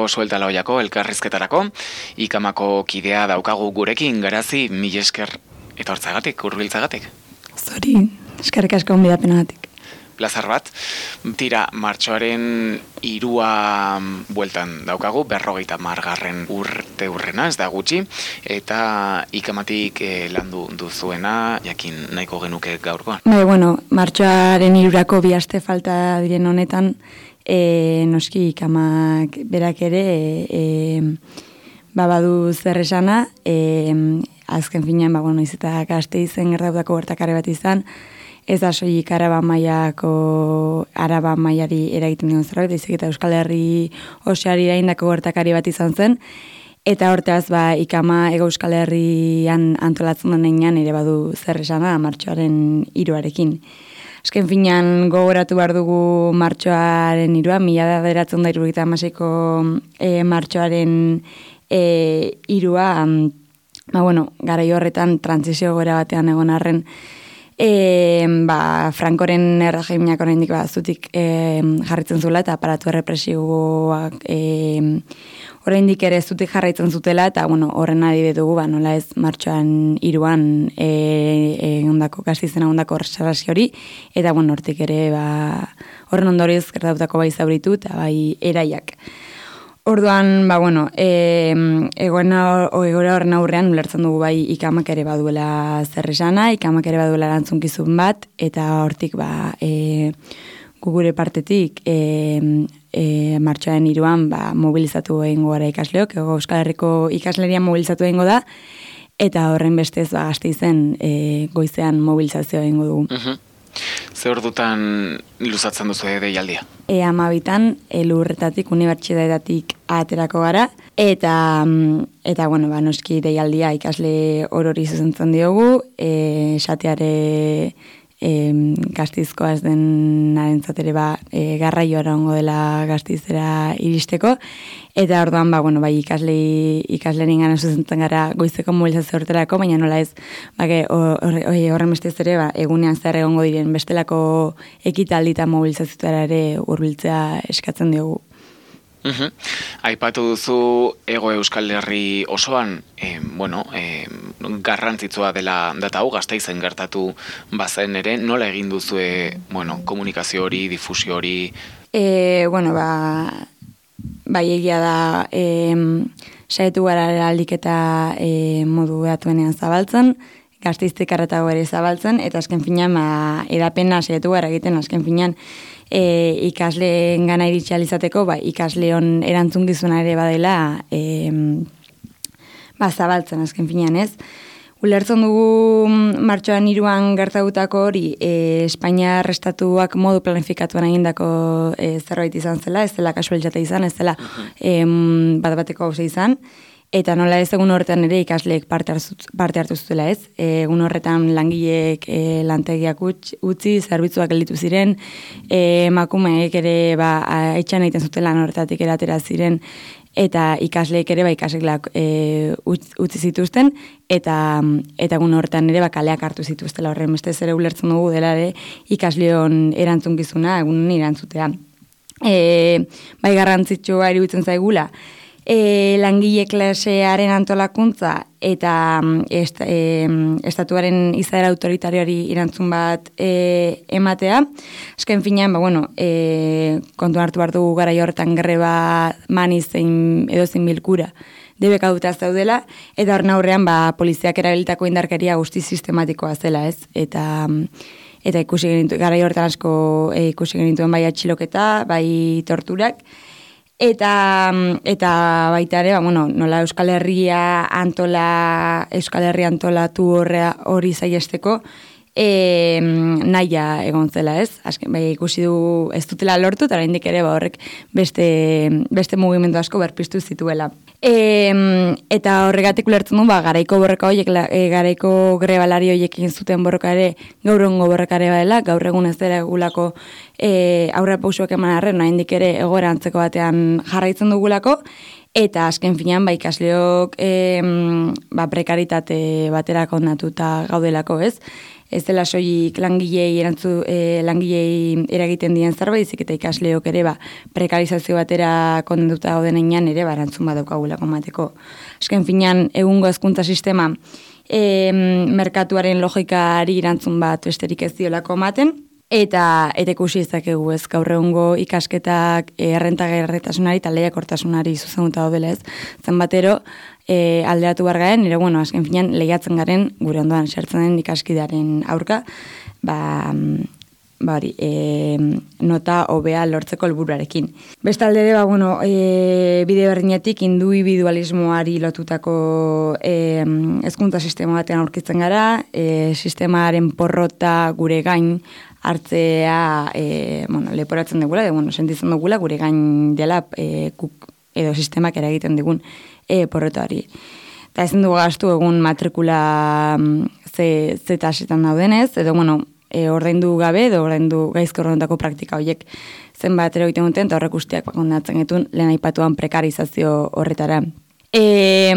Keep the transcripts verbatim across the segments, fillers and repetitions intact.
Iruñeko Suelta Laoiako elkarrizketarako, ikamako kidea daukagu gurekin, Garazi, mil esker etortzagatik, hurbiltzagatik. Zori, eskerrik asko onbidapenagatik. Plazar bat, tira, martxoaren irua bueltan daukagu, berrogeita margarren urte urrena, ez da gutxi, eta ikamatik eh, landu duzuena, jakin nahiko genuke gaurkoan. Bai, bueno, martxoaren irurako bi aste falta diren honetan, e, noski ikamak berak ere, e, babadu zer esana, e, azken finean, ba, bueno, izeta gazte izen gertatutako gertakare bat izan, ez da soilik Araba mailako Araba mailari eragiten dion zerbait, baizik eta Euskal Herri osoari eragindako gertakari bat izan zen, eta hortaz ba ikama Hego Euskal Herrian antolatzen denean ere badu zer esana martxoaren hiruarekin. Azken finean gogoratu behar dugu martxoaren hirua, mila bederatziehun eta hirurogeita hamaseiko e, martxoaren e, hirua, ba bueno, garai horretan trantsizio egoera batean egon arren, E, ba, Frankoren erregimenak oraindik ba, zutik e, jarritzen zuela eta aparatu errepresiboak e, oraindik ere zutik jarraitzen zutela eta bueno, horren adibide dugu ba, nola ez martxoan hiruan e, e, ondako gaztizena ondako sarrasi hori eta bueno, hortik ere ba, horren ondorioz gertatutako bai zauritu eta bai eraiak. Orduan, ba, bueno, e, egoera horren aurrean ulertzen dugu bai ikamak ere baduela zer esana, ikamak ere baduela erantzunkizun bat, eta hortik, ba, e, gugure partetik, e, e, martxoaren hiruan, ba, mobilizatu egingo gara ikasleok, Hego Euskal Herriko ikaslerian mobilizatu egingo da, eta horren bestez, ba, Gasteizen e, goizean mobilizazioa egingo dugu. Uh-huh. Ze ordutan luzatzen duzu deialdia? E hamabitan elurretatik, unibertsitatetik aterako gara, eta, eta bueno, ba, noski deialdia ikasle orori zuzentzen diogu, e, esateare e, Gasteizkoa ez denarentzat ere ba, e, garraioa egongo dela Gasteizera iristeko, eta orduan ba, bueno, bai, ikasle, ikaslerin gana zuzentzen gara goizeko mobilizazio horretarako, baina nola ez, ba, horren bestez ere, ba, egunean zer egongo diren bestelako ekitaldi eta mobilizazioetara ere hurbiltzea eskatzen diogu. Uhum. Aipatu duzu Hego Euskal Herri osoan, eh, bueno, eh, garrantzitsua dela data hau Gasteizen gertatu bazen ere, nola egin duzue, bueno, komunikazio hori, difusio hori? E, bueno, ba, bai egia da, e, saietu gara aldik eta e, modu behatuenean zabaltzen, Gasteiztik arretago ere zabaltzen, eta azken finean, ba, edapena saietu gara egiten, azken finean, E, ikasleen gana iritxalizateko, ba, ikasleon erantzungizuna ere badela e, ba, zabaltzen azken finean, ez? Ulertzen dugu martxoan hiruan gertatutako hori e, Espainiar estatuak modu planifikatuan egindako e, zerbait izan zela, ez zela kasualitate izan, ez zela e, bat bateko hauze izan, eta nola ez egun horretan ere ikasleek parte, parte hartu zutela ez. E, egun horretan langileek e, lantegiak utzi, zerbitzuak gelditu ziren, e, emakumeek ere ba, etxan egiten zuten lan horretatik eratera ziren, eta ikasleek ere ba, ikasleak e, utzi zituzten, eta, eta egun horretan ere ba, kaleak hartu zituztela horren bestez ere ulertzen dugu dela ere ikasleon erantzunkizuna egunen erantzutea. E, bai garrantzitsua iruditzen zaigula, E, langile klasearen antolakuntza eta est, e, estatuaren izaera autoritarioari irantzun bat e, ematea. Azken finean, ba, bueno, e, kontu hartu hartu garai horretan greba mani zein edozein bilkura debeka dutaz daudela, eta horren aurrean ba, poliziak erabilitako indarkeria guzti sistematikoa zela, ez? Eta eta ikusi genitu, garai horretan asko e, ikusi genituen bai atxiloketa, bai torturak, Eta, eta baita ere, ba, bueno, nola Euskal Herria antola, Euskal Herria antolatu horrea hori zaiesteko, e, nahia egon zela, ez? Azken, bai, ikusi du ez dutela lortu, eta oraindik ere ba, horrek beste, beste mugimendu asko berpiztu zituela. E, eta horregatik ulertzen du, ba, garaiko borroka horiek, e, garaiko grebalari horiek egin zuten borroka ere, gaur egungo borroka ere badela, gaur egun ez dela egulako e, aurra pausuak eman arren, oraindik ere egoera antzeko batean jarraitzen dugulako, Eta azken finean, ba, ikasleok e, ba, prekaritate batera kondatuta gaudelako, ez? Ez dela soilik langilei erantzu e, langilei eragiten dien zerbait, izik eta ikasleok ere ba prekarizazio batera kondatuta gaudenean ere ba erantzun badaukagulako emateko. Azken finean egungo hezkuntza sistema e, merkatuaren logikari erantzun bat besterik ez diolako ematen. Eta eta ikusi ezakegu ez gaur egungo ikasketak errentagarritasunari eta lehiakortasunari zuzenduta daudela ez. Zenbatero e, alderatu behar garen, nire bueno, azken finean lehiatzen garen gure ondoan sartzen den ikaskidearen aurka, ba, ba hori, e, nota hobea lortzeko helburuarekin. Bestalde ere, ba, bueno, e, bide berdinetik individualismoari lotutako e, hezkuntza sistema batean aurkitzen gara, e, sistemaren porrota gure gain hartzea e, bueno, leporatzen dugula, de, bueno, sentitzen dugula gure gain dela e, kuk, edo sistemak eragiten digun e, porrotari. Eta ezin dugu gastu egun matrikula ze, ze tasetan daudenez, edo bueno, e, ordaindu gabe, edo ordaindu gaizko ordaindutako praktika horiek zenbat ere egiten duten, eta horrek guztiak kondatzen getun lehen aipatuan prekarizazio horretara. E,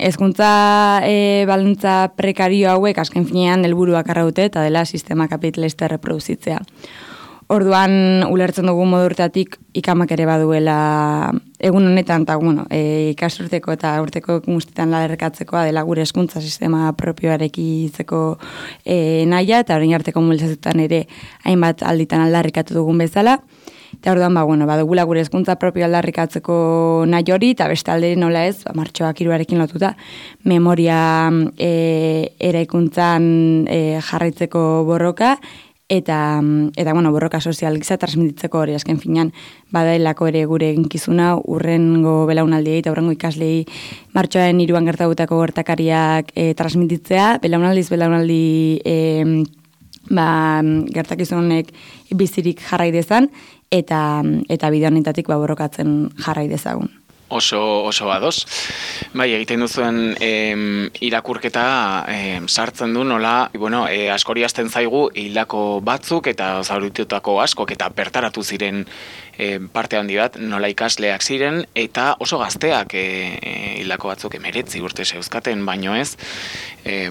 ezkuntza e, balintza prekario hauek azken finean helburuak arra dute eta dela sistema kapitalista reproduzitzea. Orduan ulertzen dugu modu horretatik ikamak ere baduela egun honetan eta bueno, e, ikasturteko eta urteko guztietan laderkatzekoa dela gure hezkuntza sistema propioarekitzeko e, nahia eta orain arteko mobilizazioetan ere hainbat alditan aldarrikatu dugun bezala. Eta orduan, ba, bueno, badugula gure hezkuntza propio aldarrikatzeko nahi hori, eta bestalde nola ez, ba, martxoak hiruarekin lotuta, memoria e, eraikuntzan e, jarraitzeko borroka, eta, eta bueno, borroka sozial giza transmititzeko hori, azken finean, badailako ere gure eginkizuna, urrengo belaunaldiei eta urrengo ikaslei martxoaren hiruan gertatutako gertakariak e, transmititzea, belaunaldiz belaunaldi e, ba, gertakizunek bizirik jarrai dezan, eta eta bide honetatik ba borrokatzen jarrai dezagun. Oso oso ados. Bai, egiten duzuen em, irakurketa em, sartzen du nola, bueno, e, askori hasten zaigu hildako batzuk eta zauritutako askok eta bertaratu ziren e, parte handi bat nola ikasleak ziren eta oso gazteak e, e, hildako batzuk emeretzi urte zeuzkaten, baino ez e,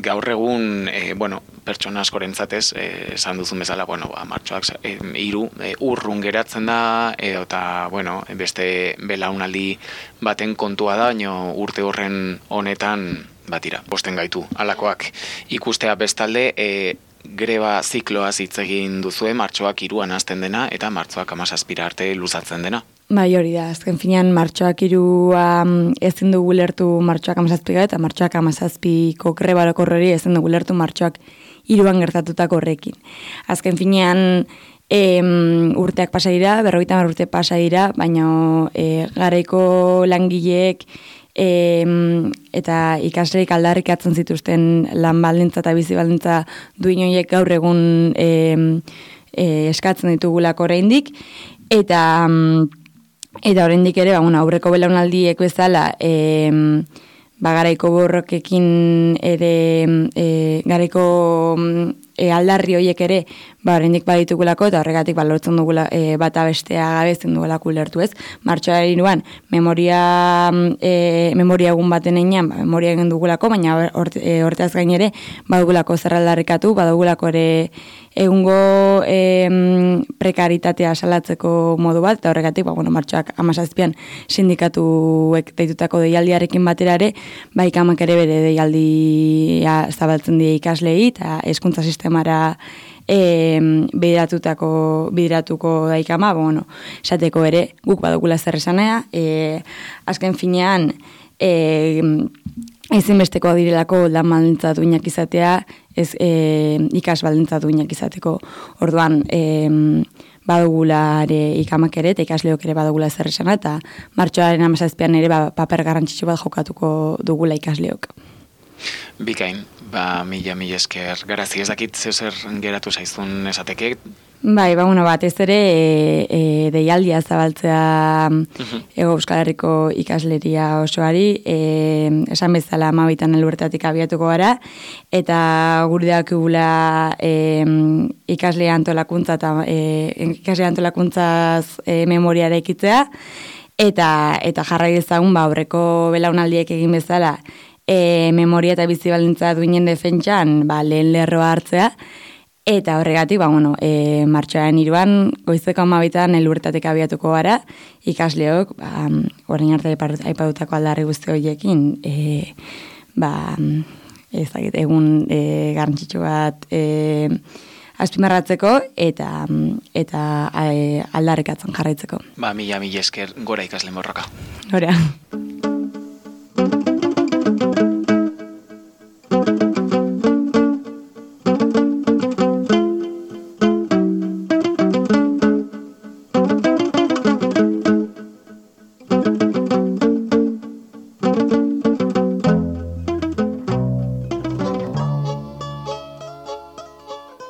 gaur egun e, bueno, pertsona askorentzatez esan duzun bezala, bueno, ba, martxoak e, hiru e, urrun geratzen da edo eta bueno, beste belaunaldi baten kontua da, baino urte horren honetan batira, posten gaitu alakoak ikustea bestalde e, greba zikloaz hitz egin duzue martxoak hiruan hasten dena eta martxoak hamazazpira arte luzatzen dena. Bai, hori da, azken finean martxoak hirua ezin dugu lertu martxoak hamazazpika eta martxoak hamazazpiko greba orokorrori ezin dugu lertu martxoak hiruan gertatutako horrekin. Azken finean E, urteak pasa dira, berrogeita hamar urte pasa dira, baina e, garaiko langileek e, eta ikasleek aldarrikatzen zituzten lan baldintza eta bizi baldintza duin horiek gaur egun e, e, eskatzen ditugulako oraindik eta eta oraindik ere ba, bueno, aurreko belaunaldiek bezala e, ba, garaiko borrokekin ere e, garaiko e, aldarri horiek ere ba oraindik baditugulako eta horregatik ba lortzen dugula e, bata bestea gabe ezin dugulako ulertu, ez? Martxoaren hiruan memoria e, memoria egun baten heinean ba, memoria egin dugulako, baina orte, e, orteaz gain ere badugulako zer aldarrikatu, badugulako ere egungo e, prekaritatea salatzeko modu bat eta horregatik ba bueno, martxoak hamazazpian sindikatuek deitutako deialdiarekin batera ere ba ikamak ere bere deialdia zabaltzen die ikaslei eta hezkuntza sistemara E, bideratutako bideratuko daikama, bueno, esateko ere guk badugula zer esanea, e, azken finean e, ezinbesteko direlako lan baldintza duinak izatea, ez e, ikas baldintza duinak izateko. Orduan, e, badugula ere ikamak ere eta ikasleok ere badugula zer esana eta martxoaren hamazazpian ere ba, paper garrantzitsu bat jokatuko dugula ikasleok. Bikain, ba, mila, mila esker, garazi ez dakit zer geratu zaizun esateke? Bai, ba, bueno, bat ez ere e, e, deialdia zabaltzea uh-huh. Ego Euskal Herriko ikasleria osoari, e, esan bezala hamabitan elurtatik abiatuko gara, eta gure dakigula e, ikasle antolakuntza eta e, ikasle antolakuntzaz e, memoria eraikitzea, eta eta jarrai dezagun ba aurreko belaunaldiek egin bezala e, memoria eta bizi baldintza duinen defentsan ba lehen lerroa hartzea. Eta horregatik, ba, bueno, e, martxoaren hiruan goizeko hamabitan elurretatik abiatuko gara, ikasleok, ba, orain arte aipatutako aldarri guzti horiekin, e, ba, ezagite, egun e, garrantzitsu bat e, azpimarratzeko eta eta e, aldarrikatzen jarraitzeko. Ba, mila mila esker gora ikasle morroka. Gora.